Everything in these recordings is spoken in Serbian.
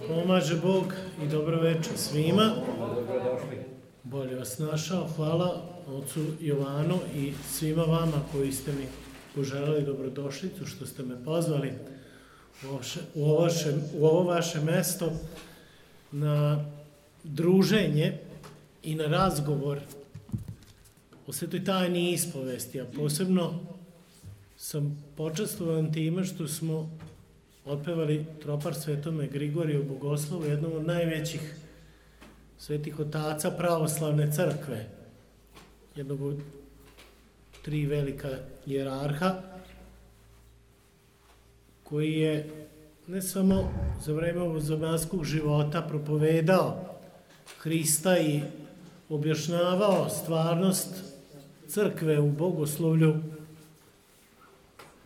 Pomaže Bog i dobro večer svima. Bolje vas našao. Hvala ocu Jovanu i svima vama koji ste mi poželeli dobrodošlicu, što ste me pozvali u ovo vaše mesto na druženje i na razgovor o svetoj tajni ispovesti, a posebno sam počastvovan time što smo otpevali tropar Svetome Grigoriju Bogoslovu, jednom od najvećih svetih otaca pravoslavne crkve, jednog od 3 velika hijerarha, koji je ne samo za vreme ovozemaljskog života propovedao Hrista i objašnjavao stvarnost crkve u bogoslovlju,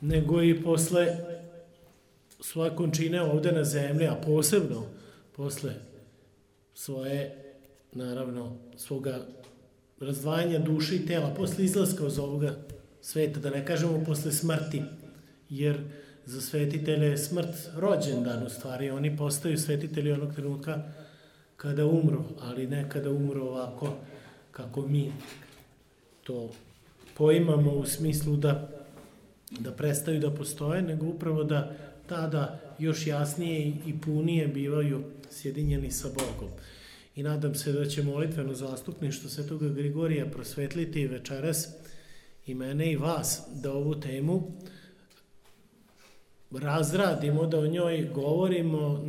nego i posle svoje končine ovde na zemlji, a posebno posle svoga razdvajanja duše i tela, posle izlaska iz ovoga sveta, da ne kažemo posle smrti, jer za svetitelje je smrt rođendan, u stvari oni postaju svetitelji onog trenutka kada umru, ali ne kada umru ovako kako mi to poimamo u smislu da prestaju da postoje, nego upravo da tada još jasnije i punije bivaju sjedinjeni sa Bogom. I nadam se da će molitveno zastupništvo Svetoga Grigorija prosvetliti večeras i mene i vas, da ovu temu razradimo, da o njoj govorimo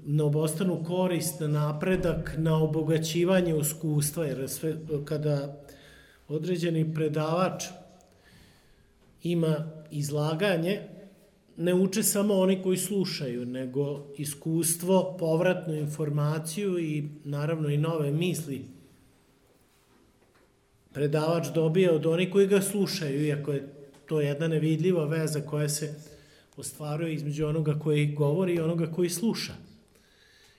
na obostranu korist, na napredak, na obogaćivanje iskustva, jer kada određeni predavač ima izlaganje, ne uče samo oni koji slušaju, nego iskustvo, povratnu informaciju i naravno i nove misli predavač dobije od onih koji ga slušaju, iako je to jedna nevidljiva veza koja se ostvaruje između onoga koji govori i onoga koji sluša.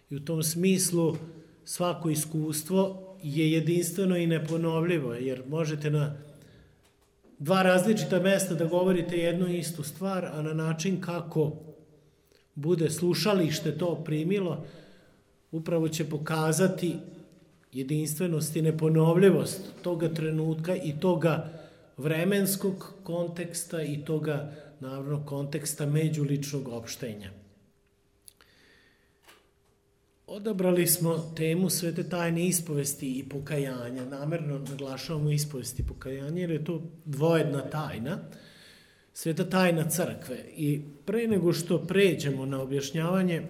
I u tom smislu svako iskustvo je jedinstveno i neponovljivo, jer možete na 2 različita mesta da govorite jednu istu stvar, a na način kako bude slušalište to primilo, upravo će pokazati jedinstvenost i neponovljivost toga trenutka i toga vremenskog konteksta i toga, naravno, konteksta međuličnog opštenja. Odabrali smo temu svete tajne ispovesti i pokajanja. Namerno naglašavamo ispovesti i pokajanje, jer je to dvojedna tajna, sveta tajna crkve. I pre nego što pređemo na objašnjavanje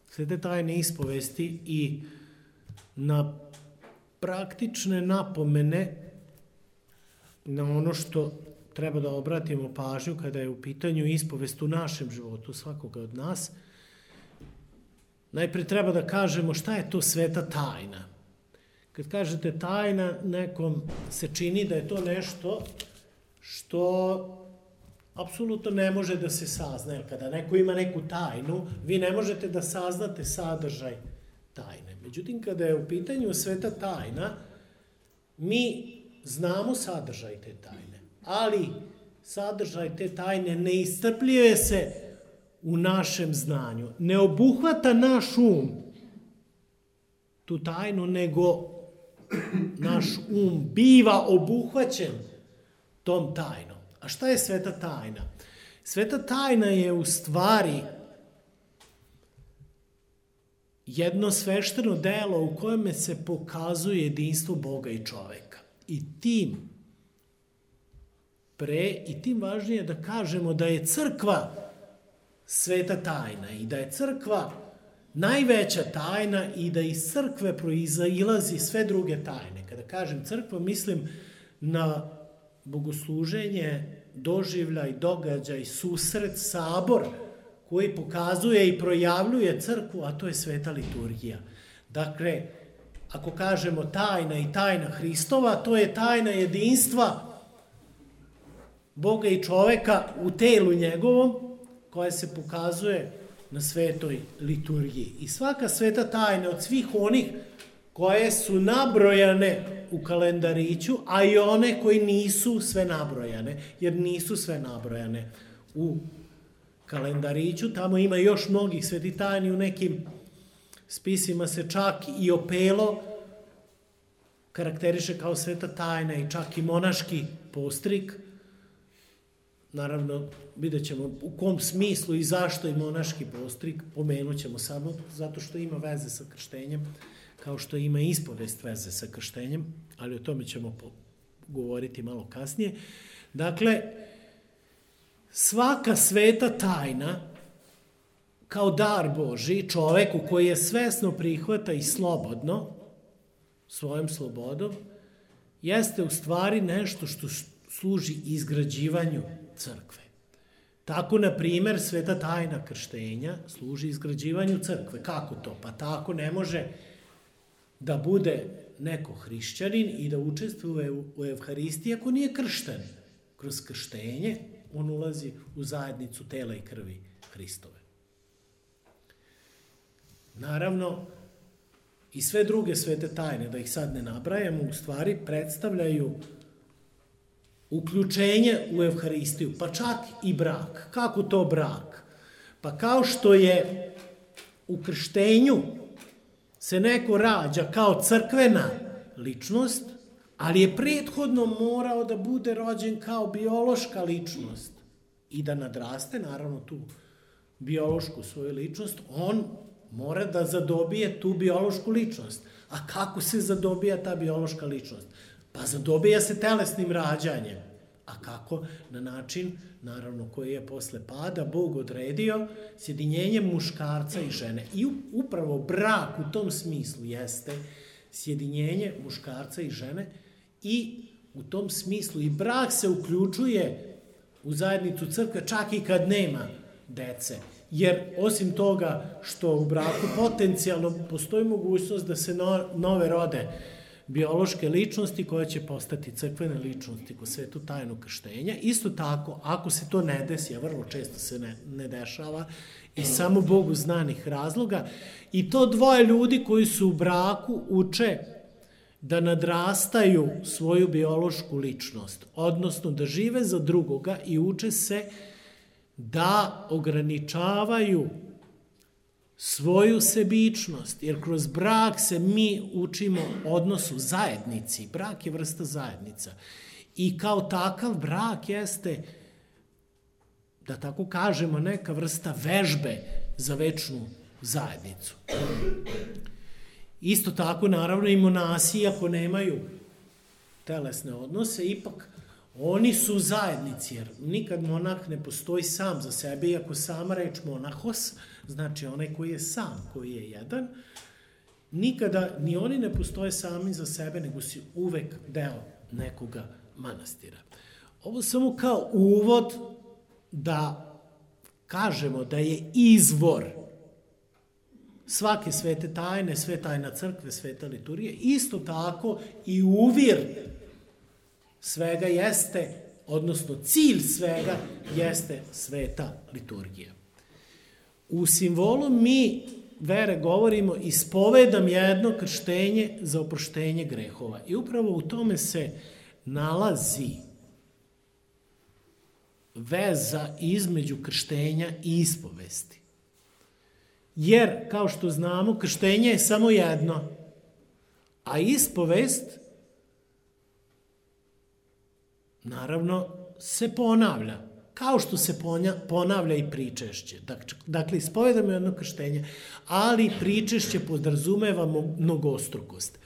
svete tajne ispovesti i na praktične napomene, na ono što treba da obratimo pažnju kada je u pitanju ispovest u našem životu svakoga od nas, najpre treba da kažemo šta je to sveta tajna. Kad kažete tajna, nekom se čini da je to nešto što apsolutno ne može da se sazna. Jer kada neko ima neku tajnu, vi ne možete da saznate sadržaj tajne. Međutim, kada je u pitanju sveta tajna, mi znamo sadržaj te tajne, ali sadržaj te tajne ne iscrpljuje se u našem znanju. Ne obuhvata naš um tu tajnu, nego naš um biva obuhvaćen tom tajnom. A šta je sveta tajna? Sveta tajna je u stvari jedno svešteno delo u kojem se pokazuje jedinstvo Boga i čoveka. I tim važnije da kažemo da je crkva sveta tajna i da je crkva najveća tajna i da iz crkve proizilazi sve druge tajne. Kada kažem crkva, mislim na bogosluženje, doživljaj, događaj, susret, sabor koji pokazuje i projavljuje crkvu, a to je sveta liturgija. Dakle, ako kažemo tajna i tajna Hristova, to je tajna jedinstva Boga i čoveka u telu njegovom, koja se pokazuje na svetoj liturgiji. I svaka sveta tajna od svih onih koje su nabrojane u kalendariću, a i one koji nisu sve nabrojane, jer nisu sve nabrojane u kalendariću, tamo ima još mnogih svetih tajni, u nekim spisima se čak i opelo karakteriše kao sveta tajna i čak i monaški postrik. Naravno, vidjet ćemo u kom smislu i zašto i monaški postrik, pomenut ćemo samo zato što ima veze sa krštenjem, kao što ima ispovest veze sa krštenjem, ali o tome ćemo govoriti malo kasnije. Dakle, svaka sveta tajna kao dar Božji čoveku koji je svesno prihvata i slobodno, svojom slobodom, jeste u stvari nešto što služi izgrađivanju crkve. Tako, na primjer, sveta tajna krštenja služi izgrađivanju crkve. Kako to? Pa tako ne može da bude neko hrišćanin i da učestvuje u Evharistiji ako nije kršten. Kroz krštenje on ulazi u zajednicu tela i krvi Hristove. Naravno, i sve druge svete tajne, da ih sad ne nabrajamo, u stvari predstavljaju uključenje u Evharistiju, pa čak i brak. Kako to brak? Pa kao što je u krštenju se neko rađa kao crkvena ličnost, ali je prethodno morao da bude rođen kao biološka ličnost i da nadraste, naravno, tu biološku svoju ličnost, on mora da zadobije tu biološku ličnost. A kako se zadobija ta biološka ličnost? Pa zadobija se telesnim rađanjem. A kako? Na način, naravno, koji je posle pada Bog odredio, sjedinjenjem muškarca i žene. I upravo brak u tom smislu jeste sjedinjenje muškarca i žene i u tom smislu i brak se uključuje u zajednicu crkve čak i kad nema dece. Jer osim toga što u braku potencijalno postoji mogućnost da se nove rode biološke ličnosti koje će postati crkvene ličnosti kroz svetu tajnu krštenja. Isto tako, ako se to ne desi, a vrlo često se ne dešava, iz samo Bogu znanih razloga, i to dvoje ljudi koji su u braku uče da nadrastaju svoju biološku ličnost, odnosno da žive za drugoga i uče se da ograničavaju svoju sebičnost, jer kroz brak se mi učimo odnosu zajednici. Brak je vrsta zajednica. I kao takav brak jeste, da tako kažemo, neka vrsta vežbe za večnu zajednicu. Isto tako, naravno, i monasi, ako nemaju telesne odnose, ipak oni su u zajednici, jer nikad monah ne postoji sam za sebe, iako sama reč monahos, znači onaj koji je sam, koji je jedan, nikada ni oni ne postoje sami za sebe, nego si uvek deo nekoga manastira. Ovo samo kao uvod da kažemo da je izvor svake svete tajne, sve tajna crkve, sveta liturgije, isto tako i uvir svega jeste, odnosno cilj svega jeste sveta liturgija. U simbolu mi vere govorimo ispovedam jedno krštenje za oproštenje grehova. I upravo u tome se nalazi veza između krštenja i ispovesti. Jer, kao što znamo, krštenje je samo jedno, a ispovest naravno se ponavlja, kao što se ponavlja i pričešće. Dakle, ispovedamo jedno krštenje, ali pričešće podrazumeva mnogostrukost.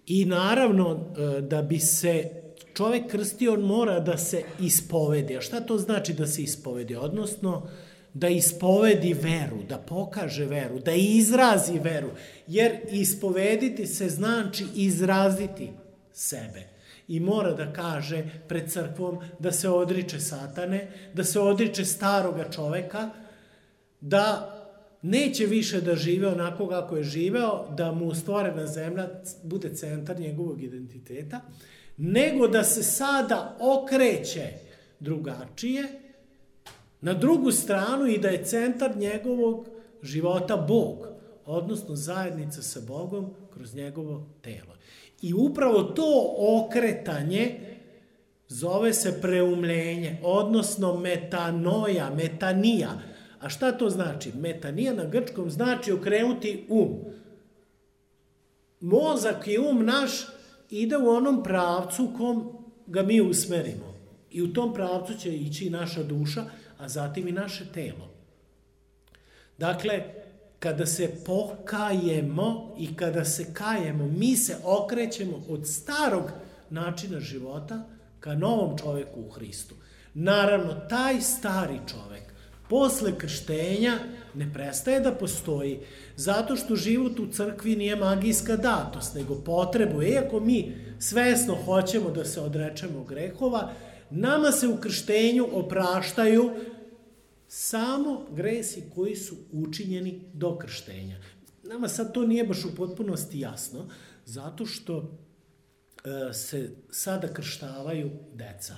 I naravno, da bi se čovek krstio, on mora da se ispovedi. A šta to znači da se ispovedi? Odnosno, da ispovedi veru, da pokaže veru, da izrazi veru. Jer ispovediti se znači izraziti sebe. I mora da kaže pred crkvom da se odriče satane, da se odriče staroga čoveka, da neće više da žive onako kako je živeo, da mu stvorena zemlja bude centar njegovog identiteta, nego da se sada okreće drugačije na drugu stranu i da je centar njegovog života Bog, odnosno zajednica sa Bogom kroz njegovo telo. I upravo to okretanje Zove se preumljenje, odnosno metanoja, metanija. A šta to znači? Metanija na grčkom znači okrenuti Mozak i naš ide u onom pravcu kom ga mi usmerimo. I u tom pravcu će ići i naša duša, a zatim i naše telo. Dakle, kada se pokajemo i kada se kajemo, mi se okrećemo od starog načina života ka novom čoveku u Hristu. Naravno, taj stari čovek posle krštenja ne prestaje da postoji, zato što život u crkvi nije magijska datost, nego potrebuje. Iako mi svesno hoćemo da se odrečemo grehova, nama se u krštenju opraštaju samo gresi koji su učinjeni do krštenja. Nama sad to nije baš u potpunosti jasno, zato što se sada krštavaju deca.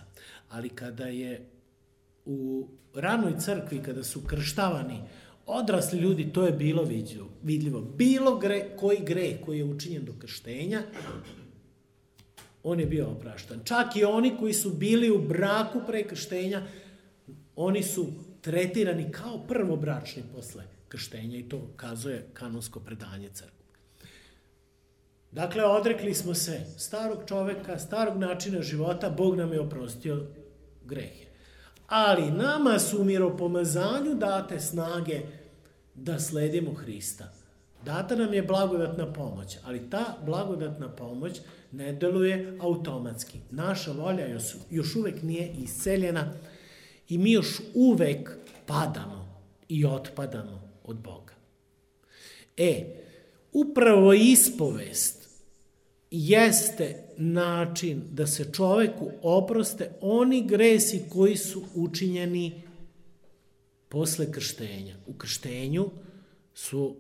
Ali kada je u ranoj crkvi, kada su krštavani odrasli ljudi, to je bilo vidljivo. Bilo koji greh koji je učinjen do krštenja, on je bio opraštan. Čak i oni koji su bili u braku pre krštenja, oni su tretirani kao prvobračni posle krštenja i to kazuje kanonsko predanje crkve. Dakle, odrekli smo se starog čoveka, starog načina života, Bog nam je oprostio grehe. Ali nama su u miropomazanju date snage da sledimo Hrista. Data nam je blagodatna pomoć, ali ta blagodatna pomoć ne deluje automatski. Naša volja još uvek nije isceljena i mi još uvek padamo i otpadamo od Boga. Upravo ispovest jeste način da se čoveku oproste oni gresi koji su učinjeni posle krštenja. U krštenju su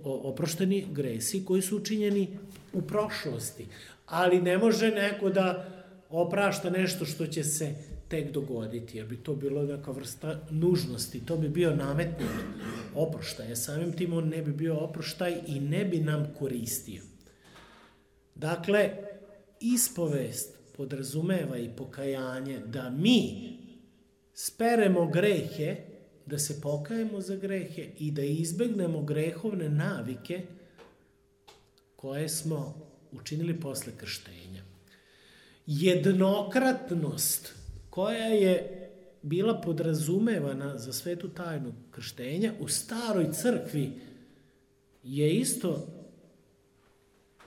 oprošteni gresi koji su učinjeni u prošlosti, ali ne može neko da oprašta nešto što će se tek dogoditi, jer bi to bilo neka vrsta nužnosti, to bi bio nametnut oproštaj, samim tim on ne bi bio oproštaj i ne bi nam koristio. Dakle, ispovest podrazumeva i pokajanje da mi speremo grehe, da se pokajemo za grehe i da izbegnemo grehovne navike koje smo učinili posle krštenja. Jednokratnost koja je bila podrazumevana za svetu tajnu krštenja u staroj crkvi je isto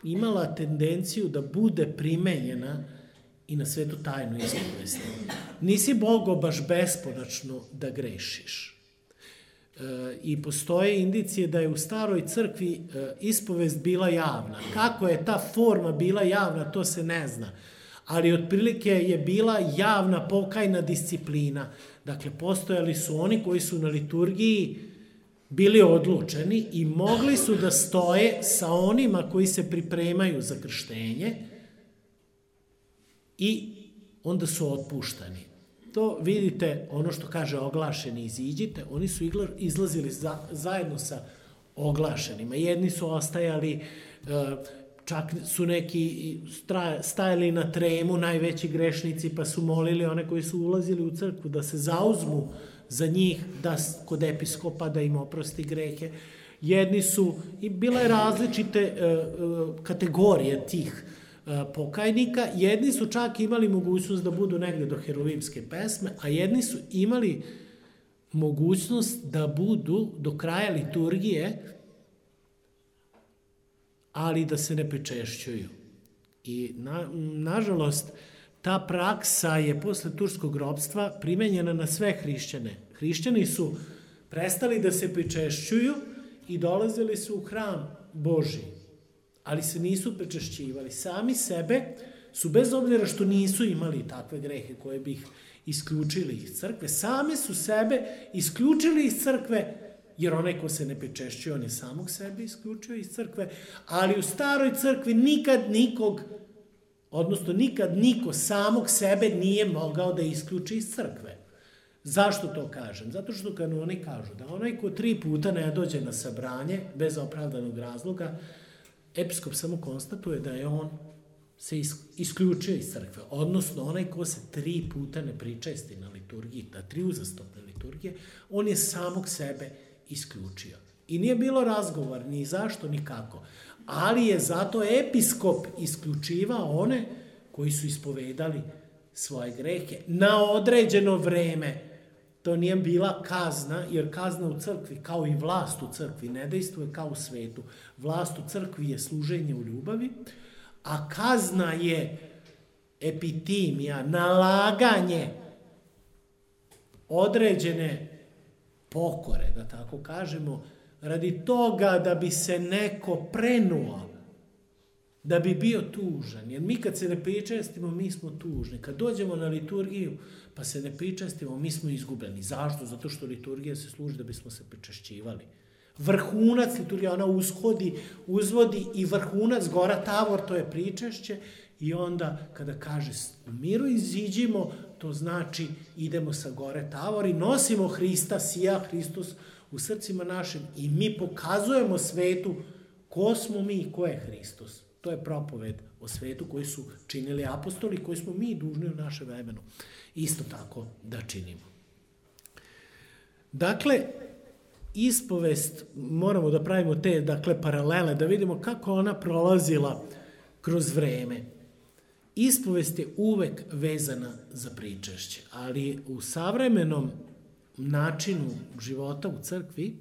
imala tendenciju da bude primenjena i na svetu tajnu ispovesti. Nisi Bogo baš beskonačno da grešiš. I postoje indicije da je u staroj crkvi ispovest bila javna. Kako je ta forma bila javna, to se ne zna. Ali otprilike je bila javna pokajna disciplina. Dakle, postojali su oni koji su na liturgiji bili odlučeni i mogli su da stoje sa onima koji se pripremaju za krštenje i onda su otpuštani. To vidite, ono što kaže oglašeni iziđite, oni su izlazili zajedno sa oglašenima. Jedni su ostajali, čak su neki stajali na tremu, najveći grešnici, pa su molili one koji su ulazili u crkvu da se zauzmu za njih, da kod episkopa da im oprosti grehe. Jedni su, i bila je različite kategorije tih pokajnika, jedni su čak imali mogućnost da budu negde do herovimske pesme, a jedni su imali mogućnost da budu do kraja liturgije, ali da se ne pričešćuju. I nažalost, ta praksa je posle turskog ropstva primenjena na sve hrišćane. Hrišćani su prestali da se pričešćuju i dolazili su u hram Božji, ali se nisu pričešćivali. Sami sebe su, bez obzira što nisu imali takve grehe koje bi ih isključili iz crkve, sami su sebe isključili iz crkve, jer onaj ko se ne pričešćuje, on je samog sebe isključio iz crkve, ali u staroj crkvi nikad niko samog sebe nije mogao da isključi iz crkve. Zašto to kažem? Zato što kanoni kažu da onaj ko 3 puta ne dođe na sabranje bez opravdanog razloga, episkop samo konstatuje da je on se isključio iz crkve, odnosno onaj ko se 3 puta ne pričesti na liturgiji, na 3 uzastopne liturgije, on je samog sebe isključio. I nije bilo razgovor ni zašto, ni kako. Ali je zato episkop isključivao one koji su ispovedali svoje grehe na određeno vreme. To nije bila kazna, jer kazna u crkvi, kao i vlast u crkvi, ne dejstvuje kao u svetu. Vlast u crkvi je služenje u ljubavi, a kazna je epitimija, nalaganje određene pokore, da tako kažemo, radi toga da bi se neko prenuo, da bi bio tužan. Jer mi kad se ne pričestimo, mi smo tužni. Kad dođemo na liturgiju, pa se ne pričestimo, mi smo izgubljeni. Zašto? Zato što liturgija se služi da bismo se pričešćivali. Vrhunac liturgije, ona uzvodi i vrhunac gora Tavor, to je pričešće, i onda kada kaže u miru iziđimo, to znači idemo sa gore Tavor i nosimo Hrista, sija Hristos u srcima našim i mi pokazujemo svetu ko smo mi i ko je Hristos. To je propoved o svetu koji su činili apostoli, koji smo mi dužni u našem vremenu isto tako da činimo. Dakle, ispovest, moramo da pravimo te paralele, da vidimo kako ona prolazila kroz vreme. Ispovest je uvek vezana za pričešće, ali u savremenom načinu života u crkvi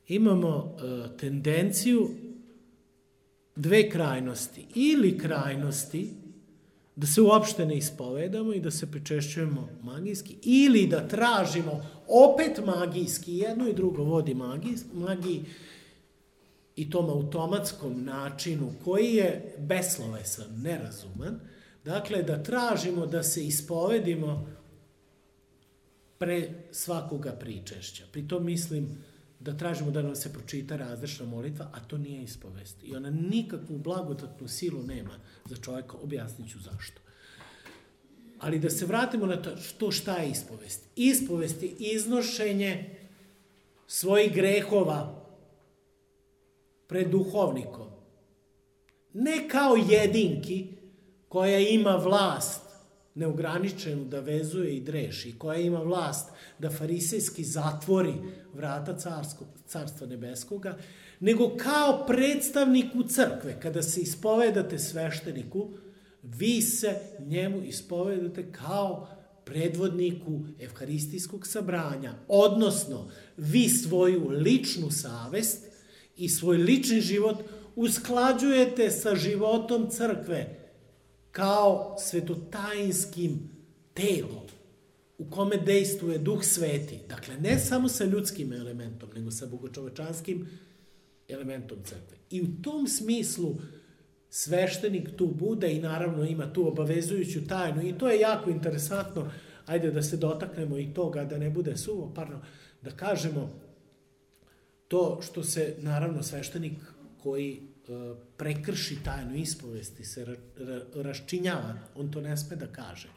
imamo tendenciju 2 krajnosti. Ili krajnosti da se uopšte ne ispovedamo i da se pričešćujemo magijski, ili da tražimo opet magijski, jedno i drugo vodi magiji i tom automatskom načinu koji je beslovesan, nerazuman. Dakle, da tražimo da se ispovedimo pre svakoga pričešća. Pri tom mislim da tražimo da nam se pročita razrešna molitva, a to nije ispovest. I ona nikakvu blagodatnu silu nema za čovjeka, objasnit ću zašto. Ali da se vratimo na to šta je ispovest. Ispovest je iznošenje svojih grehova pred duhovnikom. Ne kao jedinki koja ima vlast neograničenu da vezuje i dreši, koja ima vlast da farisejski zatvori vrata carstva nebeskoga, nego kao predstavniku crkve. Kada se ispovedate svešteniku, vi se njemu ispovedate kao predvodniku evharistijskog sabranja, odnosno vi svoju ličnu savest i svoj lični život usklađujete sa životom crkve kao svetotajinskim telom u kome dejstvuje Duh Sveti. Dakle, ne samo sa ljudskim elementom, nego sa bogočovečanskim elementom crkve. I u tom smislu sveštenik tu bude i naravno ima tu obavezujuću tajnu i to je jako interesantno. Ajde da se dotaknemo i toga, da ne bude suvoparno, da kažemo to što se naravno sveštenik koji prekrši tajnu ispovesti se raščinjava, on to ne sme da kaže.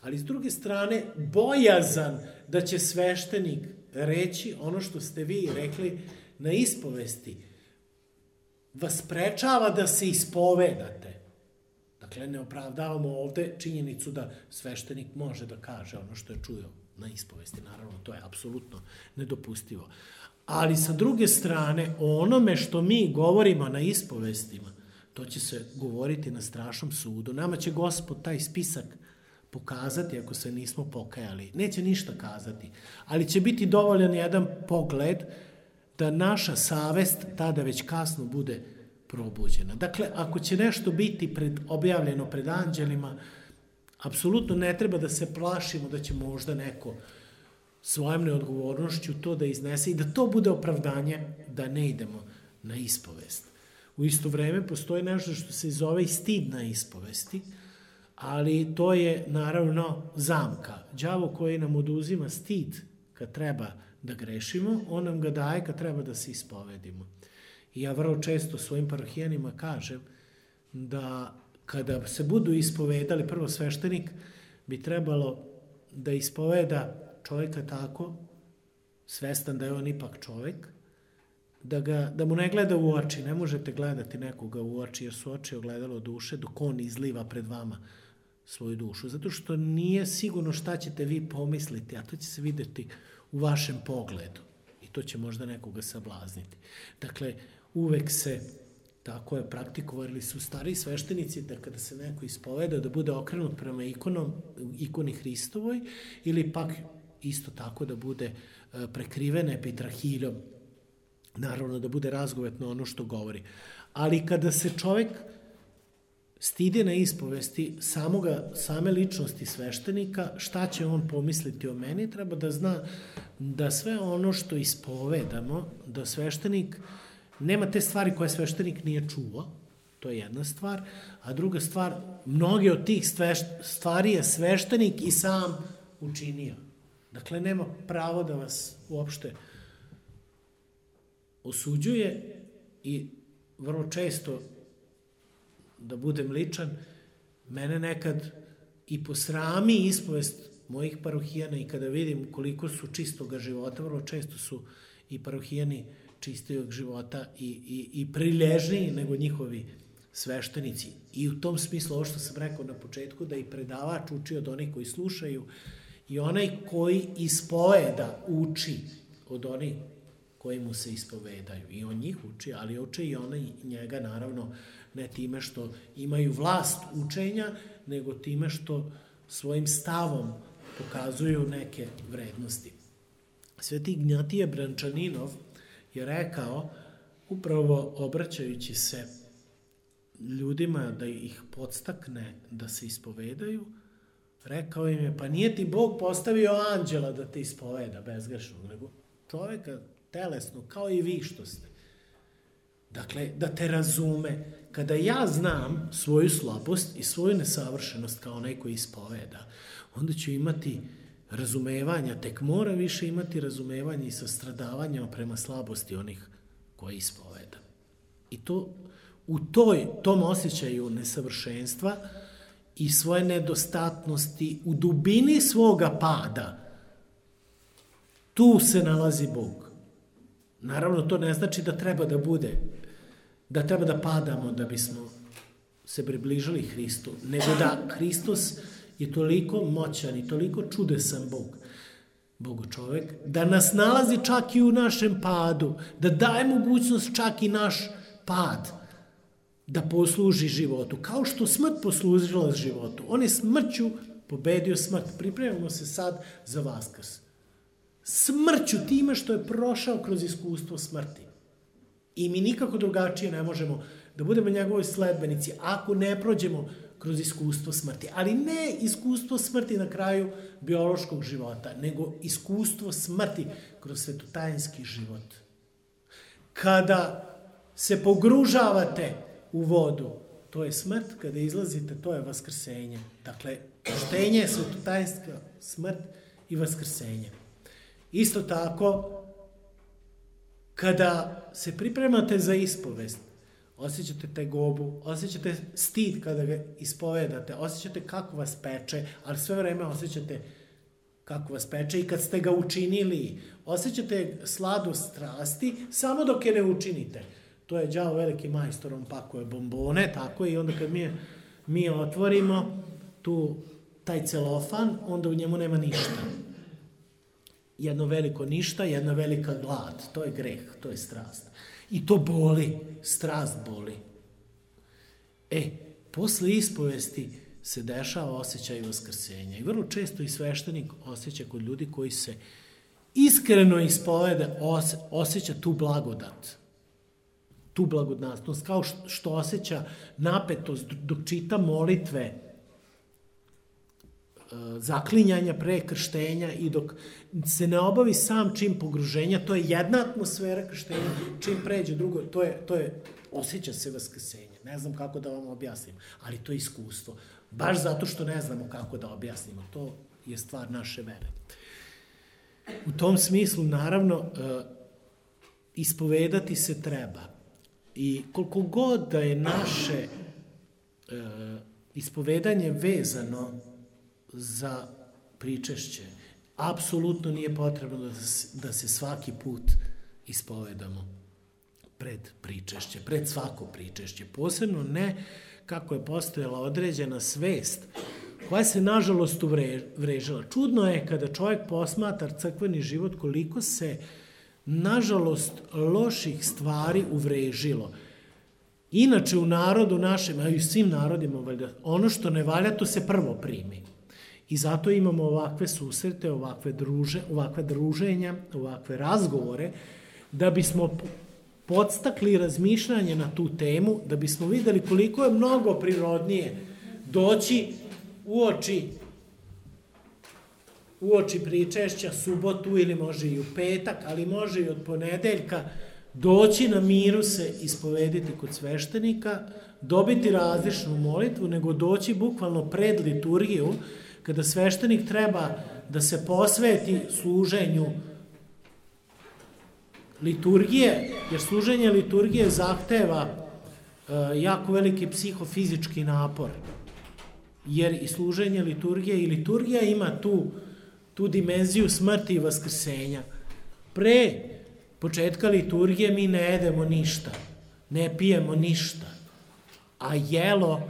Ali s druge strane, bojazan da će sveštenik reći ono što ste vi rekli na ispovesti, vas sprečava da se ispovedate. Dakle, ne opravdavamo ovde činjenicu da sveštenik može da kaže ono što je čuo na ispovesti. Naravno, to je apsolutno nedopustivo. Ali sa druge strane, o onome što mi govorimo na ispovestima, to će se govoriti na strašnom sudu. Nama će Gospod taj spisak pokazati ako se nismo pokajali. Neće ništa kazati, ali će biti dovoljan jedan pogled da naša savest tada već kasno bude probuđena. Dakle, ako će nešto biti objavljeno pred anđelima, apsolutno ne treba da se plašimo da će možda neko svojom neodgovornošću to da iznese i da to bude opravdanje da ne idemo na ispovest. U isto vreme postoji nešto što se zove i stid na ispovesti, ali to je naravno zamka. Đavo koji nam oduzima stid kad treba da grešimo, on nam ga daje kad treba da se ispovedimo. I ja vrlo često svojim parohijanima kažem da kada se budu ispovedali, prvo sveštenik bi trebalo da ispoveda čovjeka tako, svestan da je on ipak čovjek, da mu ne gleda u oči. Ne možete gledati nekoga u oči, jer su oči ogledalo duše, dok on izliva pred vama svoju dušu. Zato što nije sigurno šta ćete vi pomisliti, a to će se vidjeti u vašem pogledu. I to će možda nekoga sablazniti. Dakle, uvek se, tako je, praktikovali su stariji sveštenici da kada se neko ispoveda da bude okrenut prema ikoni Hristovoj, ili pak isto tako da bude prekriven epitrahiljom. Naravno da bude razgovetno ono što govori. Ali kada se čovek stidi na ispovesti same ličnosti sveštenika, šta će on pomisliti o meni, treba da zna da sve ono što ispovedamo, da sveštenik, nema te stvari koje sveštenik nije čuo, to je jedna stvar, a druga stvar, mnoge od tih stvari je sveštenik i sam učinio. Dakle, nema pravo da vas uopšte osuđuje i vrlo često, da budem ličan, mene nekad i posrami ispovest mojih parohijana i kada vidim koliko su čistoga života, vrlo često su i parohijani čistijog života i prilježniji nego njihovi sveštenici. I u tom smislu, ovo što sam rekao na početku, da i predavač uči od onih koji slušaju i onaj koji ispoveda uči od onih koji mu se ispovedaju. I on njih uči, ali uče i onaj njega, naravno, ne time što imaju vlast učenja, nego time što svojim stavom pokazuju neke vrednosti. Sveti Ignjatije Brančaninov je rekao, upravo obraćajući se ljudima da ih podstakne da se ispovedaju, rekao im je, pa nije ti Bog postavio anđela da te ispoveda bezgrešnog, nego čoveka telesno, kao i vi što ste. Dakle, da te razume. Kada ja znam svoju slabost i svoju nesavršenost kao onaj koji ispoveda, onda ću imati razumevanja, tek mora više imati razumevanja i sastradavanja prema slabosti onih koji ispoveda. I to u tom osjećaju nesavršenstva i svoje nedostatnosti, u dubini svoga pada, tu se nalazi Bog. Naravno, to ne znači da treba da padamo da bismo se približili Hristu, nego da Hristos je toliko moćan i toliko čudesan Bog čovek, da nas nalazi čak i u našem padu, da daje mogućnost čak i naš pad da posluži životu, kao što smrt poslužila životu. On je smrću pobedio smrt. Pripremamo se sad za Vaskrs. Smrću, time što je prošao kroz iskustvo smrti. I mi nikako drugačije ne možemo da budemo njegovi sledbenici ako ne prođemo kroz iskustvo smrti. Ali ne iskustvo smrti na kraju biološkog života, nego iskustvo smrti kroz svetotajinski život. Kada se pogružavate u vodu, to je smrt, kada izlazite, to je vaskrsenje. Dakle, krštenje je svetotajinska smrt i vaskrsenje. Isto tako, kada se pripremate za ispovest, osjećate tegobu, osjećate stid kada ga ispovedate, osjećate kako vas peče, ali sve vreme osjećate kako vas peče i kad ste ga učinili, osjećate sladost strasti, samo dok je ne učinite. To je đavo veliki majstor, on pakuje bombone, tako i onda kad mi otvorimo taj celofan, onda u njemu nema ništa. Jedno veliko ništa, jedna velika glad. To je greh, to je strast. I to boli, strast boli. Posle ispovesti se dešava osjećaj vaskrsenja. I vrlo često i sveštenik osjeća kod ljudi koji se iskreno ispovede, osjeća tu blagodat. Tu blagodatnost, kao što osjeća napetost dok čita molitve, zaklinjanja pre krštenja i dok se ne obavi sam čin pogruženja, to je jedna atmosfera krštenja, čim pređe drugo, to je osjeća se vaskrsenje. Ne znam kako da vam objasnim, ali to je iskustvo. Baš zato što ne znamo kako da objasnimo. To je stvar naše vere. U tom smislu, naravno, ispovedati se treba. I koliko god da je naše ispovedanje vezano za pričešće, apsolutno nije potrebno da se svaki put ispovedamo. pred pričešće, pred svako pričešće. Posebno ne kako je postojala određena svest koja se nažalost uvrežila. Čudno je kada čovjek posmatra crkveni život koliko se nažalost loših stvari uvrežilo. Inače u narodu našem, a i u svim narodima, ono što ne valja to se prvo primi. I zato imamo ovakve susrete, ovakve druženja, ovakve razgovore, da bismo podstakli razmišljanje na tu temu, da bismo videli koliko je mnogo prirodnije doći uoči pričešća, subotu ili može i u petak, ali može i od ponedeljka, doći na miru se ispovediti kod sveštenika, dobiti različnu molitvu, nego doći bukvalno pred liturgiju, kada sveštenik treba da se posveti služenju liturgije, jer služenje liturgije zahteva jako veliki psihofizički napor, jer i služenje liturgije i liturgija ima tu dimenziju smrti i vaskrsenja. Pre početka liturgije mi ne jedemo ništa, ne pijemo ništa, a jelo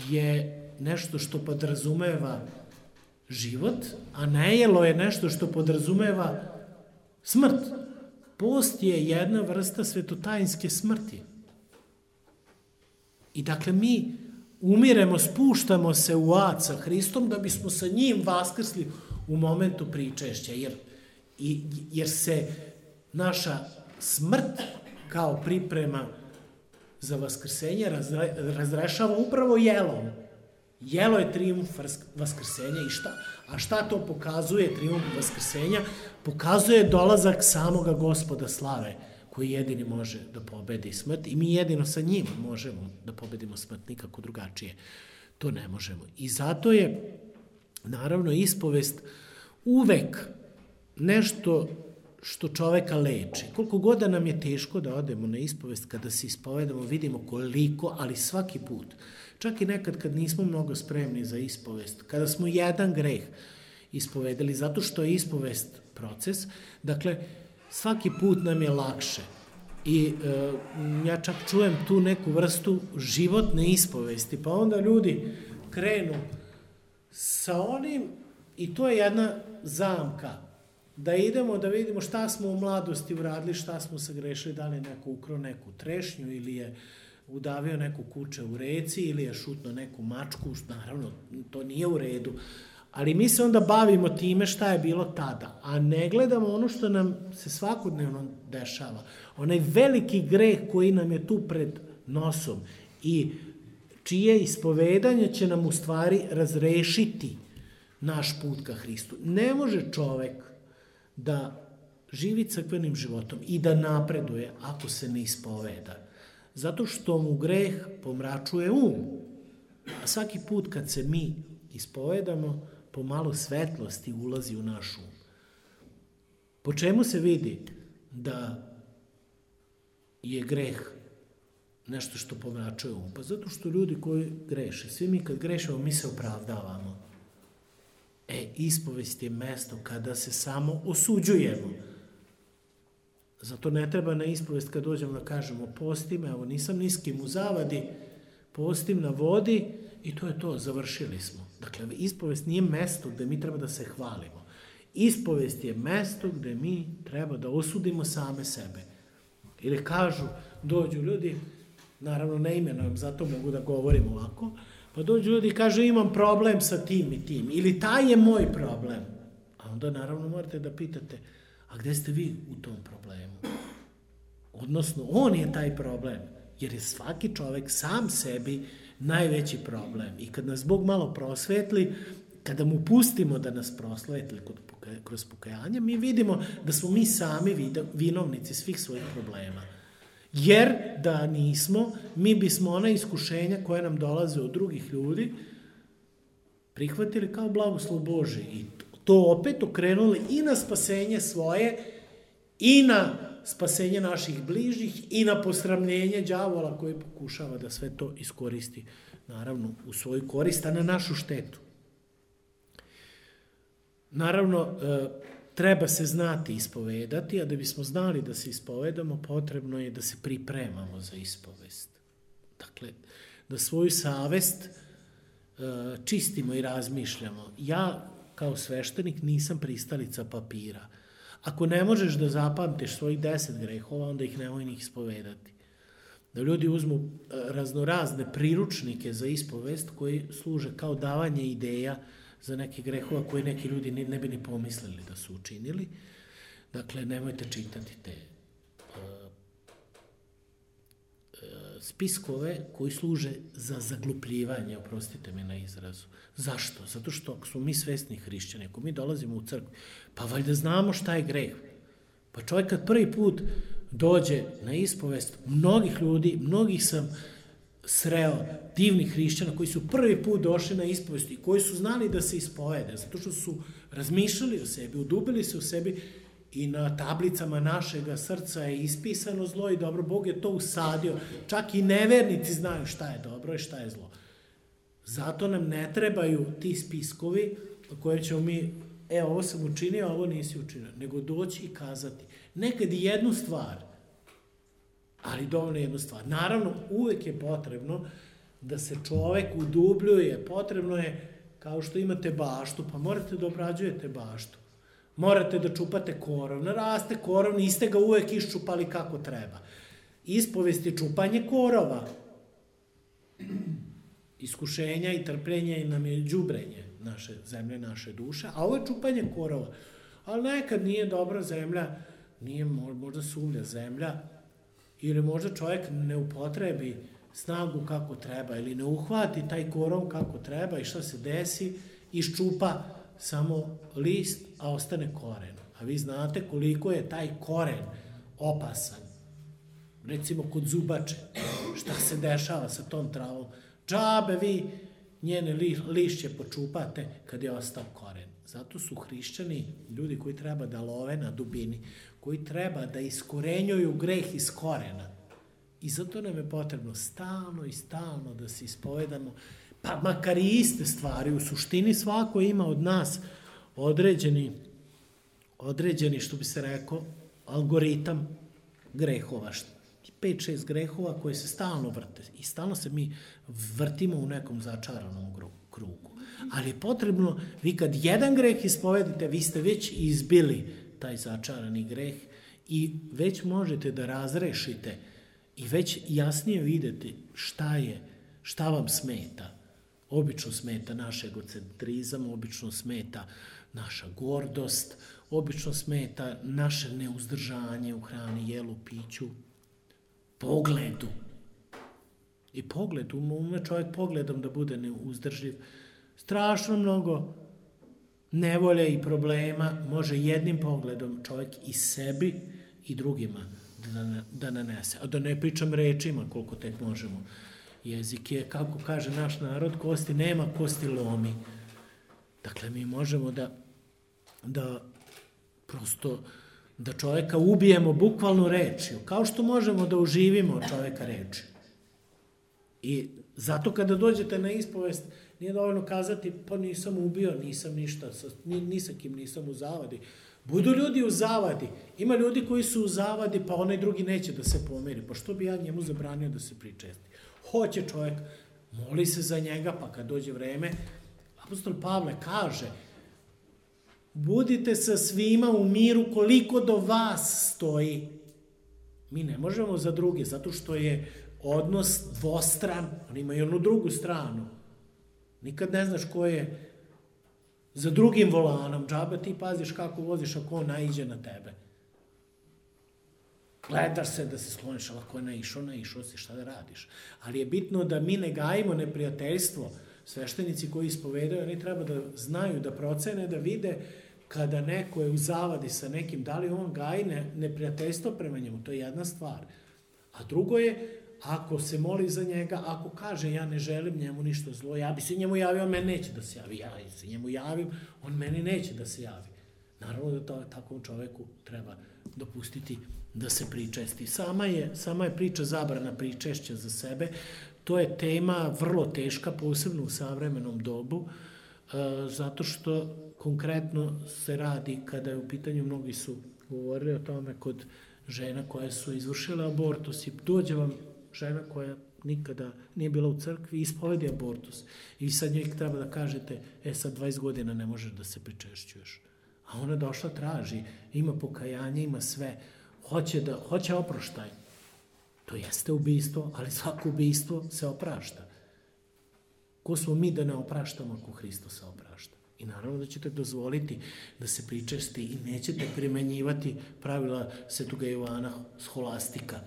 je nešto što podrazumeva život, a nejelo je nešto što podrazumeva smrt. Post je jedna vrsta svetotajinske smrti. I dakle mi umiremo, spuštamo se u ad sa Hristom da bismo sa njim vaskrsli u momentu pričešća, jer se naša smrt kao priprema za vaskrsenje razrešava upravo jelom. Jelo je trijumf vaskrsenja a šta to pokazuje trijumf vaskrsenja? Pokazuje dolazak samoga Gospoda slave, koji jedini može da pobedi smrt i mi jedino sa njim možemo da pobedimo smrt, nikako drugačije. To ne možemo. I zato je, naravno, ispovest uvek nešto što čoveka leči. Koliko god da nam je teško da odemo na ispovest, kada se ispovedamo, vidimo koliko, ali svaki put, čak i nekad kad nismo mnogo spremni za ispovest, kada smo jedan greh ispovedali, zato što je ispovest proces, dakle, svaki put nam je lakše. I ja čak čujem tu neku vrstu životne ispovesti, pa onda ljudi krenu sa onim, i to je jedna zamka, da idemo da vidimo šta smo u mladosti uradili, šta smo sagrešili, da li je neko ukrao neku trešnju ili je udavio neku kuče u reci ili je šutno neku mačku, naravno to nije u redu, ali mi se onda bavimo time šta je bilo tada, a ne gledamo ono što nam se svakodnevno dešava, onaj veliki greh koji nam je tu pred nosom i čije ispovedanje će nam u stvari razrešiti naš put ka Hristu. Ne može čovek da živi crkvenim životom i da napreduje ako se ne ispoveda. Zato što mu greh pomračuje a svaki put kad se mi ispovedamo, pomalo svetlosti ulazi u naš um. Po čemu se vidi da je greh nešto što pomračuje Pa zato što ljudi koji greše, svi mi kad grešimo, mi se opravdavamo. Ispovest je mesto kada se samo osuđujemo. Zato ne treba na ispovest kad dođemo da kažemo postim, evo nisam ni s kim u zavadi, postim na vodi i to je to, završili smo. Dakle, ispovest nije mesto gde mi treba da se hvalimo. Ispovest je mesto gde mi treba da osudimo same sebe. Ili kažu, dođu ljudi, naravno ne imenujem, zato mogu da govorim ovako, pa dođu ljudi i kažu imam problem sa tim i tim, ili taj je moj problem. A onda naravno morate da pitate, a gde ste vi u tom problemu? Odnosno, on je taj problem, jer je svaki čovek sam sebi najveći problem. I kad nas Bog malo prosvetli, kada mu pustimo da nas prosvetli kroz pokajanje, mi vidimo da smo mi sami vinovnici svih svojih problema. Jer da nismo, mi bismo ona iskušenja koja nam dolaze od drugih ljudi prihvatili kao blagoslov Božji i to opet okrenuli i na spasenje svoje i na spasenje naših bližnjih i na posramljenje đavola koji pokušava da sve to iskoristi, naravno, u svoju korist, a na našu štetu. Naravno, treba se znati ispovedati, a da bismo znali da se ispovedamo, potrebno je da se pripremamo za ispovest. Dakle, da svoju savest čistimo i razmišljamo. Ja, kao sveštenik, nisam pristalica papira. Ako ne možeš da zapamtiš svojih 10 grehova, onda ih nemoj ni ispovedati. Da ljudi uzmu raznorazne priručnike za ispovest koji služe kao davanje ideja za neke grehova koje neki ljudi ne bi ni pomislili da su učinili. Dakle, nemojte čitati te spiskove koji služe za zaglupljivanje, oprostite mi na izrazu. Zašto? Zato što ako smo mi svesni hrišćani, ako mi dolazimo u crkvu, pa valjda znamo šta je greh. Pa čovjek kad prvi put dođe na ispovest, mnogih sam sreo divnih hrišćana koji su prvi put došli na ispovest i koji su znali da se ispovede, zato što su razmišljali o sebi, udubili se u sebi i na tablicama našega srca je ispisano zlo i dobro. Bog je to usadio. Čak i nevernici znaju šta je dobro i šta je zlo. Zato nam ne trebaju ti spiskovi koje ćemo mi, ovo sam učinio, a ovo nisi učinio, nego doći i kazati. Nekad i jednu stvar, ali dovoljno jednu stvar. Naravno, uvek je potrebno da se čovek udubljuje. Potrebno je, kao što imate baštu, pa morate da obrađujete baštu. Morate da čupate korov. Naraste korov, niste ga uvek iščupali kako treba. Ispovest je čupanje korova. Iskušenja i trpljenja nam je đubrenje naše zemlje, naše duše, a ovo je čupanje korova. Ali nekad nije dobra zemlja, nije možda suvlja zemlja, ili možda čovjek ne upotrebi snagu kako treba, ili ne uhvati taj korov kako treba i šta se desi, iščupa samo list, a ostane koren. A vi znate koliko je taj koren opasan. Recimo kod zubače, šta se dešava sa tom travom. Džabe vi njene lišće počupate kad je ostao koren. Zato su hrišćani ljudi koji treba da love na dubini, koji treba da iskorenjuju greh iz korena. I zato nam je potrebno stalno i stalno da se ispovedamo, pa makar i iste stvari. U suštini svako ima od nas određeni, što bi se rekao, algoritam grehova. 5-6 grehova koje se stalno vrte. I stalno se mi vrtimo u nekom začaranom krugu. Ali je potrebno, vi kad jedan greh ispovedite, vi ste već izbili taj začarani greh i već možete da razrešite i već jasnije vidite šta vam smeta. Obično smeta naš egocentrizam, obično smeta naša gordost, obično smeta naše neuzdržanje u hrani, jelu, piću, pogledu. I pogled, ume čovjek pogledom da bude neuzdrživ. Strašno mnogo nevolje i problema može jednim pogledom čovjek i sebi i drugima da nanese. A da ne pričam rečima koliko tek možemo. Jezik je, kako kaže naš narod, kosti nema, kosti lomi. Dakle, mi možemo da prosto da čovjeka ubijemo bukvalno rečju, kao što možemo da uživimo čovjeka rečju. I zato kada dođete na ispovest, nije dovoljno kazati, pa nisam ubio, nisam ništa, ni sa kim nisam u zavadi. Budu ljudi u zavadi. Ima ljudi koji su u zavadi, pa onaj drugi neće da se pomeri. Pa što bi ja njemu zabranio da se pričesti? Hoće čovjek, moli se za njega, pa kad dođe vreme, apostol Pavle kaže, budite sa svima u miru koliko do vas stoji. Mi ne možemo za druge, zato što je odnos dvostran, on ima i onu drugu stranu. Nikad ne znaš ko je za drugim volanom. Džabe ti paziš kako voziš ako on naiđe na tebe. Gledaš se da se skloniš, ali ako je naišao si, šta da radiš. Ali je bitno da mi ne gajimo neprijateljstvo. Sveštenici koji ispovedaju, oni treba da znaju, da procene, da vide kada neko je u zavadi sa nekim, da li on gaji neprijateljstvo prema njemu, to je jedna stvar. A drugo je, ako se moli za njega, ako kaže ja ne želim njemu ništa zlo, ja bi se njemu javio, on meni neće da se javi, ja se njemu javim, on meni neće da se javi. Naravno da takvom čoveku treba dopustiti da se pričesti. Sama je priča zabrana pričešća za sebe, to je tema vrlo teška, posebno u savremenom dobu. zato što konkretno se radi, kada je u pitanju, mnogi su govorili o tome kod žena koje su izvršile abortus i dođe vam žena koja nikada nije bila u crkvi i ispovedi abortus. I sad njoj treba da kažete, sad 20 godina ne možeš da se pričešćuješ. A ona došla, traži, ima pokajanje, ima sve, hoće oproštaj. To jeste ubistvo, ali svako ubistvo se oprašta. Ko smo mi da ne opraštamo ako Hristos se oprašta? I naravno da ćete dozvoliti da se pričesti i nećete primenjivati pravila Svetoga Jovana Scholastika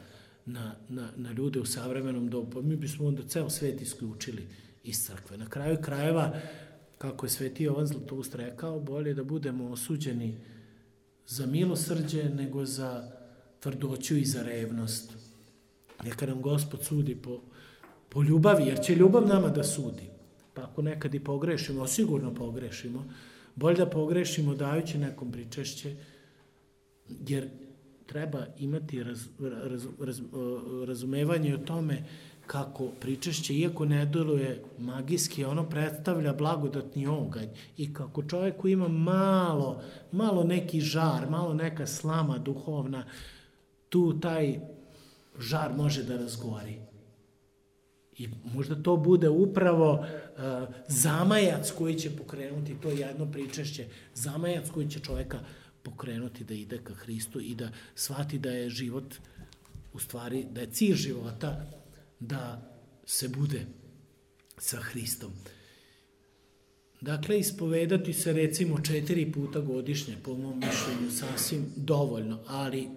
na ljude u savremenom dobu. Pa mi bismo onda ceo svet isključili iz crkve. Na kraju krajeva, kako je Sveti Jovan Zlatoust rekao, bolje da budemo osuđeni za milosrđe nego za tvrdoću i za revnost. Neka nam Gospod sudi po ljubavi, jer će ljubav nama da sudi. Pa ako nekad i pogrešimo, sigurno pogrešimo, bolje da pogrešimo dajući nekom pričešće, jer treba imati razumevanje o tome kako pričešće, iako ne deluje magijski, ono predstavlja blagodatni oganj i kako čovjeku ima malo neki žar, malo neka slama duhovna, tu taj žar može da razgori. I možda to bude upravo zamajac koji će pokrenuti to jedno pričešće, zamajac koji će čovjeka pokrenuti da ide ka Hristu i da shvati da je život, u stvari, da je cilj života da se bude sa Hristom. Dakle, ispovedati se recimo 4 puta godišnje, po mom mišljenju, sasvim dovoljno, ali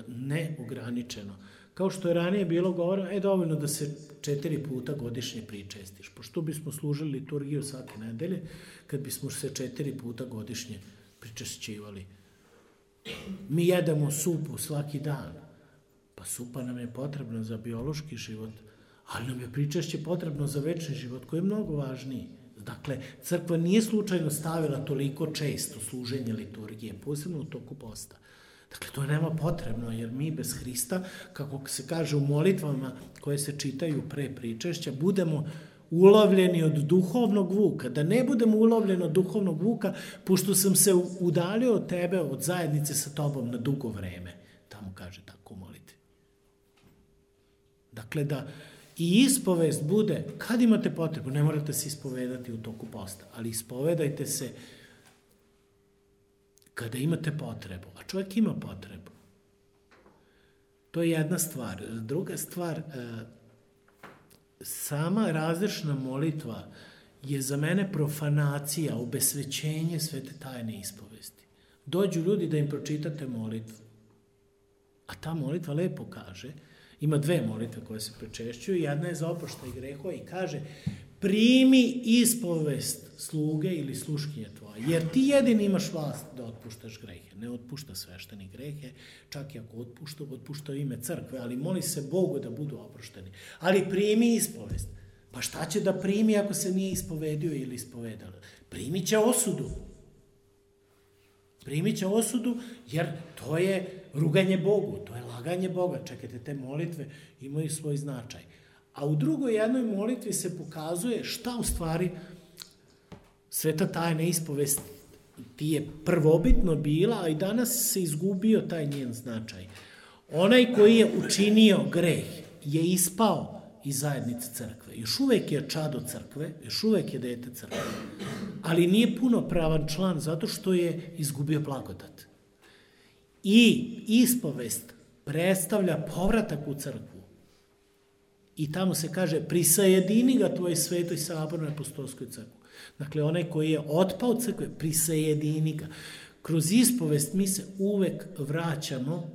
ne ograničeno. Kao što je ranije bilo govoreno, dovoljno da se 4 puta godišnje pričestiš. Pošto bismo služili liturgiju svake nedelje, kad bismo se 4 puta godišnje pričešćivali. Mi jedemo supu svaki dan. Pa supa nam je potrebna za biološki život, ali nam je pričešće potrebno za večni život, koji je mnogo važniji. Dakle, crkva nije slučajno stavila toliko često služenje liturgije, posebno u toku posta. Dakle, to je nama potrebno, jer mi bez Hrista, kako se kaže u molitvama koje se čitaju pre pričešća, budemo ulovljeni od duhovnog vuka. Da ne budemo ulovljeni od duhovnog vuka, pošto sam se udalio od tebe, od zajednice sa tobom na dugo vreme. Tamo kaže tako u molitvi. Dakle, da i ispovest bude, kad imate potrebu, ne morate se ispovedati u toku posta, ali ispovedajte se kada imate potrebu, a čovjek ima potrebu. To je jedna stvar. Druga stvar, sama različna molitva je za mene profanacija, obesvećenje svete tajne ispovesti. Dođu ljudi da im pročitate molitvu, a ta molitva lepo kaže, ima 2 molitve koje se pričešćuju, jedna je za oproštaj grehova i kaže: primi ispovest sluge ili sluškinje tvoje, jer ti jedini imaš vlast da otpuštaš grehe. Ne otpušta svešteni grehe, čak i ako otpušta ime crkve, ali moli se Bogu da budu oprošteni. Ali primi ispovest. Pa šta će da primi ako se nije ispovedio ili ispovedala? Primit će osudu. Primit će osudu, jer to je ruganje Bogu, to je laganje Boga. Čekajte, te molitve imaju svoj značaj. A u drugoj jednoj molitvi se pokazuje šta u stvari sveta tajna ispovest ti je prvobitno bila, a i danas se izgubio taj njen značaj. Onaj koji je učinio greh je ispao iz zajednice crkve. Još uvek je čado crkve, još uvek je dete crkve, ali nije punopravan član zato što je izgubio blagodat. I ispovest predstavlja povratak u crkvu. I tamo se kaže: prisajedini ga tvoj svetoj sabornoj apostolskoj crkvi. Dakle, onaj koji je otpao od crkve, prisajedini ga. Kroz ispovest mi se uvek vraćamo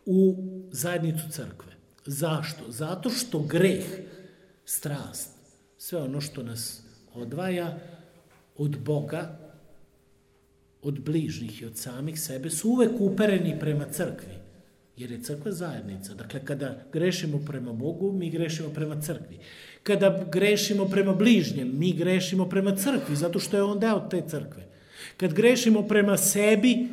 u zajednicu crkve. Zašto? Zato što greh, strast, sve ono što nas odvaja od Boga, od bližnjih i od samih sebe, su uvek upereni prema crkvi, jer je crkva zajednica. Dakle, kada grešimo prema Bogu, mi grešimo prema crkvi. Kada grešimo prema bližnjem, mi grešimo prema crkvi, zato što je on deo te crkve. Kad grešimo prema sebi,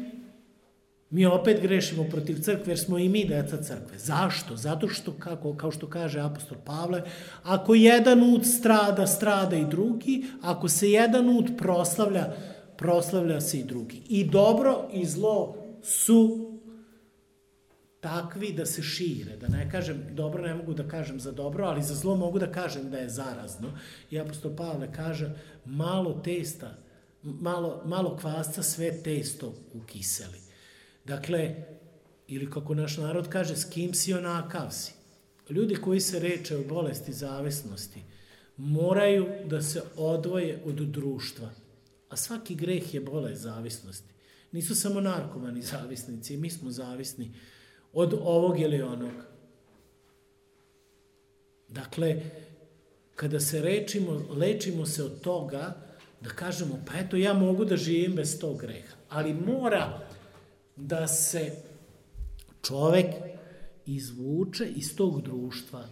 Mi opet grešimo protiv crkve jer smo i mi deca crkve. Zašto? Zato što, kao što kaže apostol Pavle, ako jedan ud strada, strada i drugi, ako se jedan ud proslavlja, proslavlja se i drugi. I dobro i zlo su takvi da se šire. Da ne kažem, dobro ne mogu da kažem za dobro, ali za zlo mogu da kažem da je zarazno. I apostol Pavle kaže, malo kvasca sve testo ukiseli. Dakle, ili kako naš narod kaže, s kim si onakav si. Ljudi koji se reče o bolesti zavisnosti moraju da se odvoje od društva. A svaki greh je bolest zavisnosti. Nisu samo narkomani zavisnici, mi smo zavisni od ovog ili onog. Dakle, kada se lečimo se od toga da kažemo, pa eto ja mogu da živim bez tog greha, ali mora da se čovek izvuče iz tog društva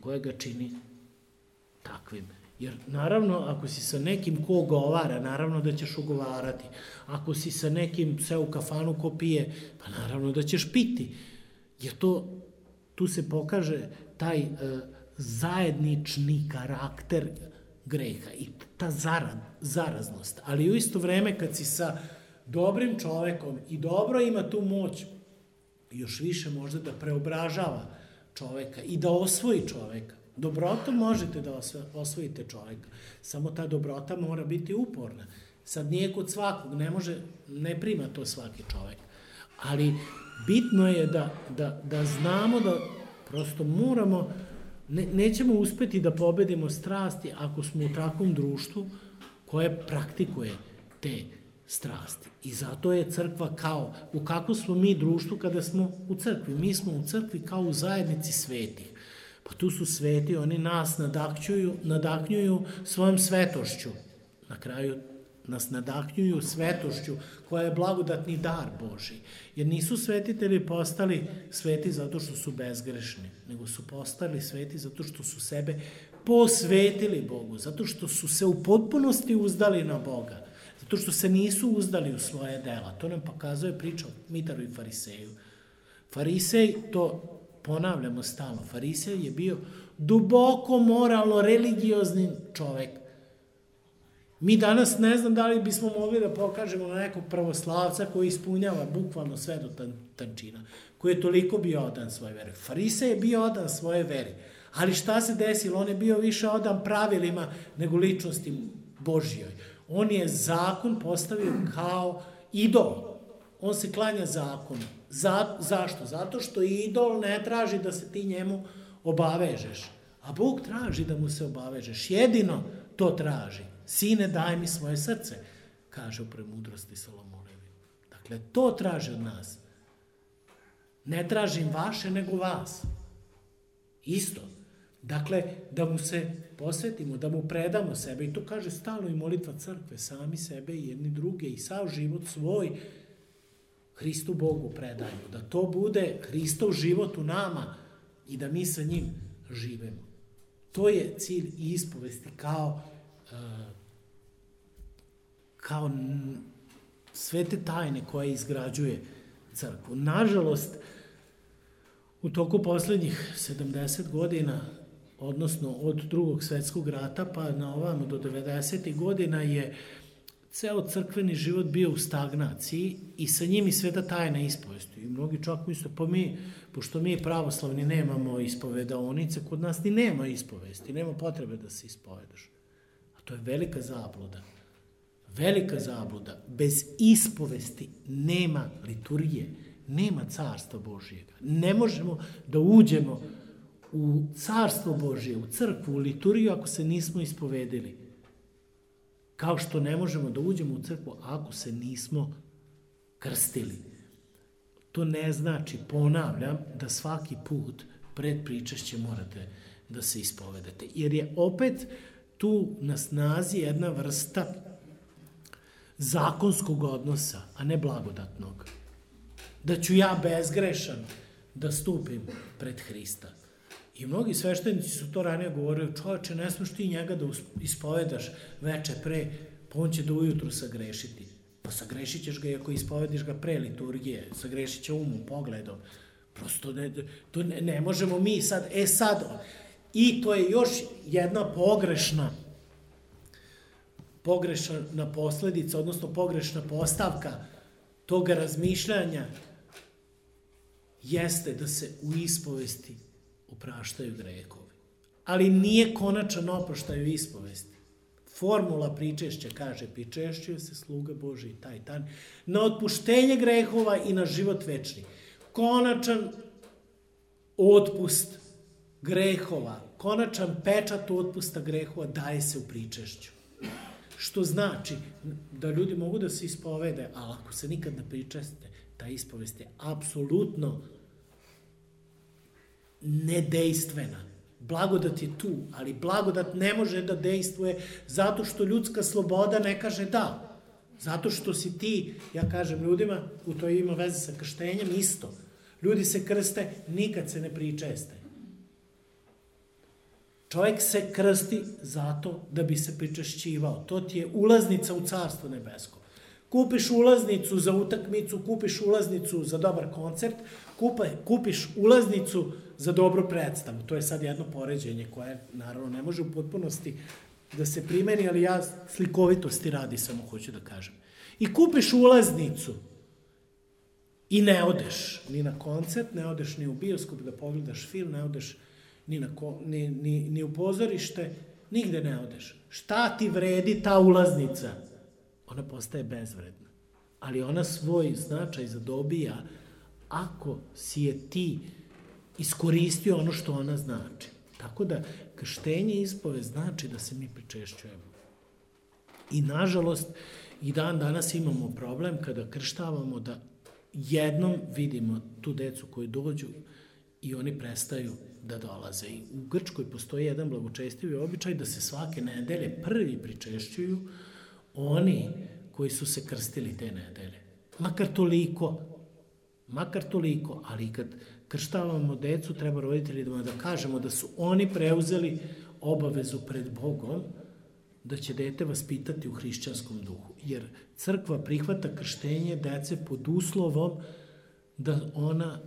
koje ga čini takvim. Jer naravno, ako si sa nekim ko ugovara, naravno da ćeš ugovarati. Ako si sa nekim sve u kafanu ko pije, pa naravno da ćeš piti. Jer tu se pokaže taj zajednični karakter greha i ta zaraznost. Ali u isto vreme kad si sa dobrim čovekom i dobro ima tu moć još više možda da preobražava čoveka i da osvoji čoveka. Dobrotom možete da osvojite čoveka, samo ta dobrota mora biti uporna. Sad nije kod svakog, ne prima to svaki čovek, ali bitno je da znamo da prosto moramo, nećemo uspeti da pobedimo strasti ako smo u takvom društvu koje praktikuje te strasti. I zato je crkva u kakvom smo mi društvu kada smo u crkvi. Mi smo u crkvi kao u zajednici svetih. Pa tu su sveti, oni nas nadahnjuju svojom svetošću. Na kraju nas nadahnjuju svetošću koja je blagodatni dar Božji. Jer nisu svetitelji postali sveti zato što su bezgrešni, nego su postali sveti zato što su sebe posvetili Bogu, zato što su se u potpunosti uzdali na Boga, zato što se nisu uzdali u svoje dela. To nam pokazuje priča o Mitaru i Fariseju. Farisej, to ponavljamo stalno, Farisej je bio duboko moralno religiozni čovek. Mi danas ne znam da li bismo mogli da pokažemo na nekog pravoslavca koji ispunjava bukvalno sve do tančina, koji je toliko bio odan svoje veri. Farisej je bio odan svoje veri, ali šta se desilo? On je bio više odan pravilima nego ličnosti Božjoj. On je zakon postavio kao idol. On se klanja zakonu. Zašto? Zato što idol ne traži da se ti njemu obavežeš. A Bog traži da mu se obavežeš. Jedino to traži. Sine, daj mi svoje srce, kaže u Premudrosti Solomonovi. Dakle, to traži od nas. Ne tražim vaše, nego vas. Isto. Dakle, da mu se posvetimo, da mu predamo sebe. I to kaže stalno i molitva crkve, sami sebe i jedni druge i sav život svoj Hristu Bogu predajemo. Da to bude Hristov život u nama i da mi sa njim živemo. To je cilj ispovesti kao sve te tajne koje izgrađuje crkvu. Nažalost, u toku poslednjih 70 godina, odnosno od Drugog svetskog rata pa na ovamo do 90. godina je ceo crkveni život bio u stagnaciji i sa njim i sveta tajna ispovesti. I mnogi čak misle, pošto mi pravoslavni nemamo ispovedaonice, kod nas ni nema ispovesti, nema potrebe da se ispovedaš. A to je velika zabluda. Velika zabluda. Bez ispovesti nema liturgije, nema carstva Božjega. Ne možemo da uđemo u carstvo Božje, u crkvu, u liturgiju ako se nismo ispovedili. Kao što ne možemo da uđemo u crkvu ako se nismo krstili. To ne znači, ponavljam, da svaki put pred pričašće morate da se ispovedate. Jer je opet tu na snazi jedna vrsta zakonskog odnosa, a ne blagodatnog. Da ću ja bezgrešan da stupim pred Hrista. I mnogi sveštenici su to ranije govorili, čoveče, ne smiješ ti njega da ispovedaš veče pre, pa on će do ujutru sagrešiti. Pa sagrešit ćeš ga i ako ispovediš ga pre liturgije, sagrešit će umom, pogledom. Prosto ne možemo mi sad, i to je još jedna pogrešna posledica, odnosno pogrešna postavka toga razmišljanja jeste da se u ispovesti opraštaju grehovi. Ali nije konačan oproštaj u ispovesti. Formula pričešća kaže, pričešćuje se sluga Božiji taj dan na otpuštenje grehova i na život večni. Konačan otpust grehova, konačan pečat otpusta grehova daje se u pričešću. Što znači da ljudi mogu da se ispovede, ali ako se nikad ne pričeste, ta ispovest je apsolutno nedejstvena. Blagodat je tu, ali blagodat ne može da dejstvuje zato što ljudska sloboda ne kaže da. Zato što si ti, ja kažem ljudima, u to ima veze sa krštenjem isto. Ljudi se krste, nikad se ne pričeste. Čovjek se krsti zato da bi se pričešćivao. To ti je ulaznica u Carstvo nebesko. Kupiš ulaznicu za utakmicu, kupiš ulaznicu za dobar koncert, kupiš ulaznicu za dobru predstavu. To je sad jedno poređenje koje, naravno, ne može u potpunosti da se primeni, ali ja slikovitosti radi samo hoću da kažem. I kupiš ulaznicu i ne odeš ni na koncert, ne odeš ni u bioskop da pogledaš film, ne odeš ni u pozorište, nigde ne odeš. Šta ti vredi ta ulaznica? Ona postaje bezvredna. Ali ona svoj značaj zadobija ako si je ti iskoristio ono što ona znači. Tako da krštenje i ispovest znači da se mi pričešćujemo. I nažalost, i dan danas imamo problem kada krštavamo da jednom vidimo tu decu koji dođu i oni prestaju da dolaze. I u Grčkoj postoji jedan blagočestivi običaj da se svake nedelje prvi pričešćuju oni koji su se krstili te nedelje. Makar toliko, ali kad krštavamo decu, treba roditeljima da kažemo da su oni preuzeli obavezu pred Bogom da će dete vaspitati u hrišćanskom duhu. Jer crkva prihvata krštenje dece pod uslovom da ona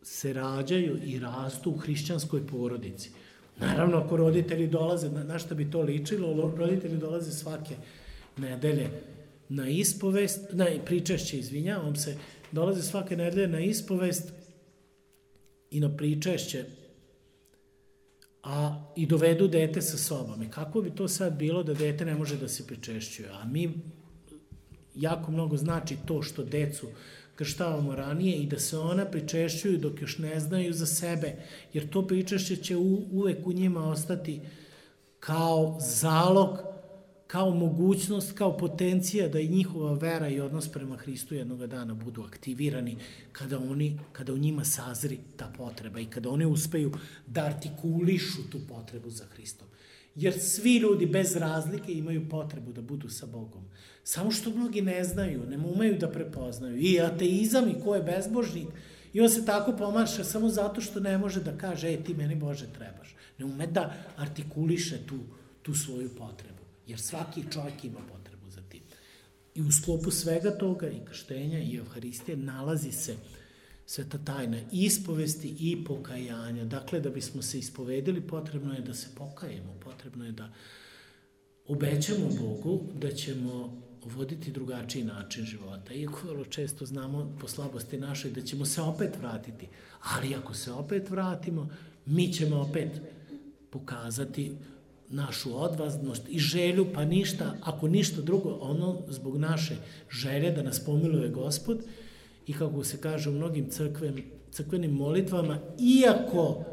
se rađaju i rastu u hrišćanskoj porodici. Naravno, ako roditelji dolaze, na šta bi to ličilo, roditelji dolaze svake nedelje na ispovest, na pričešće, dolaze svake nedelje na ispovest i na pričešće, i dovedu dete sa sobom. I kako bi to sad bilo da dete ne može da se pričešćuje? A mi jako mnogo znači to što decu krštavamo ranije i da se ona pričešćuju dok još ne znaju za sebe, jer to pričešće će uvek u njima ostati kao zalog, kao mogućnost, kao potencija da i njihova vera i odnos prema Hristu jednoga dana budu aktivirani kada u njima sazri ta potreba i kada oni uspeju da artikulišu tu potrebu za Hristom. Jer svi ljudi bez razlike imaju potrebu da budu sa Bogom. Samo što mnogi ne znaju, ne umeju da prepoznaju. I ateizam i ko je bezbožnik, i on se tako pomaša samo zato što ne može da kaže, ti meni Bože trebaš. Ne ume da artikuliše tu svoju potrebu. Jer svaki čovjek ima potrebu za tim. I u sklopu svega toga i krštenja i Evharistije nalazi se sveta tajna ispovesti i pokajanja. Dakle, da bismo se ispovedili, potrebno je da se pokajemo, potrebno je da obećamo Bogu da ćemo voditi drugačiji način života. Iako vrlo često znamo po slabosti našoj da ćemo se opet vratiti. Ali ako se opet vratimo, mi ćemo opet pokazati našu odvažnost i želju, pa ništa, ako ništa drugo, ono zbog naše želje da nas pomiluje Gospod i kako se kaže u mnogim crkvenim molitvama, iako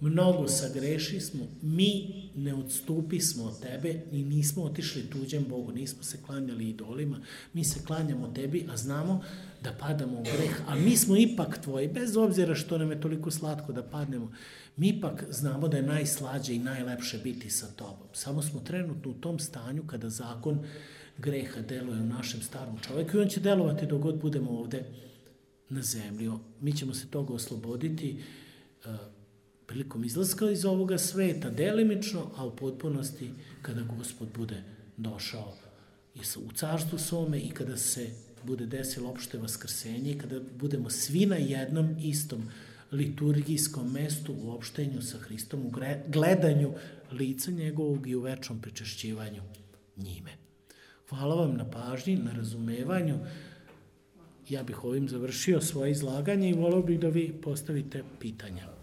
mnogo sagrešismo, mi ne odstupismo od tebe i nismo otišli tuđem Bogu, nismo se klanjali idolima, mi se klanjamo tebi, a znamo da padamo u greh, a mi smo ipak tvoji, bez obzira što nam je toliko slatko da padnemo, mi ipak znamo da je najslađe i najlepše biti sa tobom. Samo smo trenutno u tom stanju kada zakon greha deluje u našem starom čoveku i on će delovati dok god budemo ovde na zemlji. Mi ćemo se toga osloboditi prilikom izlaska iz ovoga sveta, delimično, a u potpunosti kada Gospod bude došao u carstvu svome i kada se bude desilo opšte vaskrsenje i kada budemo svi na jednom istom liturgijskom mestu u opštenju sa Hristom, u gledanju lica njegovog i u večnom pričešćivanju njime. Hvala vam na pažnji, na razumevanju. Ja bih ovim završio svoje izlaganje i voleo bih da vi postavite pitanja.